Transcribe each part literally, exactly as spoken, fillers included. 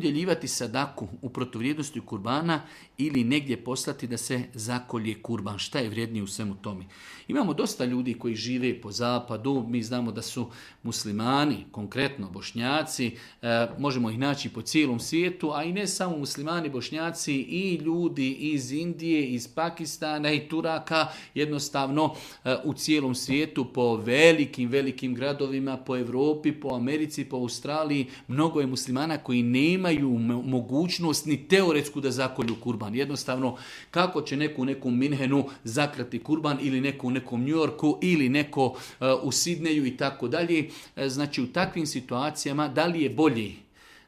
udjeljivati sadaku u protuvrijednosti kurbana ili negdje poslati da se zakolje kurban. Šta je vrijednije u svemu tome? Imamo dosta ljudi koji žive po zapadu, mi znamo da su muslimani, konkretno bošnjaci, e, možemo ih naći po cijelom svijetu, a i ne samo muslimani, bošnjaci, i ljudi iz Indije, iz Pakistana i Turaka, jednostavno e, u cijelom svijetu, po velikim, velikim gradovima, po Europi, po Americi, po Australiji, mnogo je muslimana koji nemaju mogućnost ni teoretsku da zakolju kurban. Jednostavno, kako će neko u nekom Minhenu zakrati kurban ili neko u nekom New Yorku ili neko uh, u Sidneju i tako dalje. Znači, u takvim situacijama da li je bolje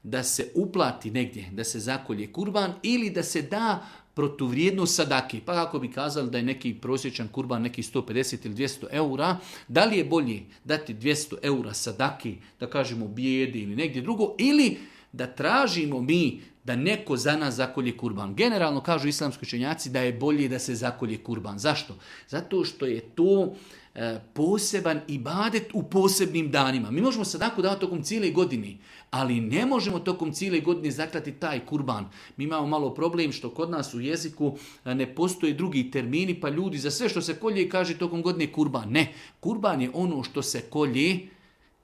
da se uplati negdje, da se zakolje kurban ili da se da protuvrijednost sadaki. Pa kako bi kazali da je neki prosječan kurban neki sto pedeset ili dvjesto eura, da li je bolje dati dvjesto eura sadaki, da kažemo bijedi ili negdje drugo, ili da tražimo mi da neko za nas zakolje kurban. Generalno kažu islamski učenjaci da je bolje da se zakolje kurban. Zašto? Zato što je to e, poseban ibadet u posebnim danima. Mi možemo sadaku davati tokom cijele godine, ali ne možemo tokom cijele godine zaklati taj kurban. Mi imamo malo problem što kod nas u jeziku ne postoje drugi termini, pa ljudi za sve što se kolje kaže tokom godine kurban. Ne, kurban je ono što se kolje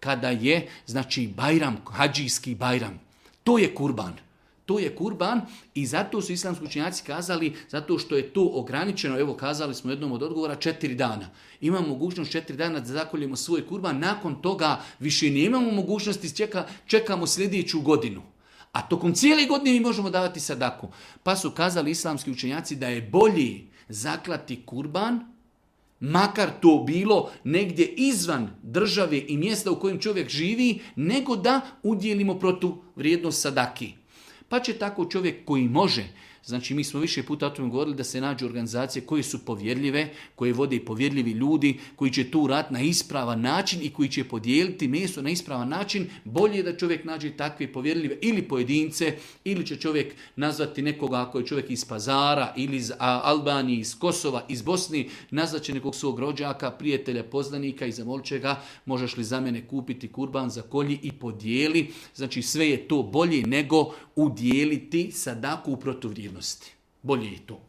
kada je, znači, bajram, hadžijski bajram. To je kurban. To je kurban i zato su islamski učenjaci kazali, zato što je to ograničeno, evo kazali smo jednom od odgovora, četiri dana. Imamo mogućnost četiri dana da zakoljemo svoj kurban, nakon toga više nemamo mogućnosti, čeka, čekamo sljedeću godinu. A tokom cijele godine mi možemo davati sadaku. Pa su kazali islamski učenjaci da je bolje zaklati kurban, makar to bilo negdje izvan države i mjesta u kojem čovjek živi, nego da udjelimo protuvrijednost sadaki. Pa će tako čovjek koji može, znači mi smo više puta o tome govorili da se nađu organizacije koje su povjerljive, koje vode povjerljivi ljudi, koji će tu raditi na ispravan način i koji će podijeliti meso na ispravan način. Bolje je da čovjek nađe takve povjerljive ili pojedince, ili će čovjek nazvati nekoga ako je čovjek iz Pazara ili iz Albanije, iz Kosova, iz Bosni, nazvat će nekog svog rođaka, prijatelja, poznanika i zamolit će ga, možeš li za mene kupiti kurban, za kolji i podijeli. Znači sve je to bolje nego udjeliti sadaku u protuvrijednosti. Bolje je to.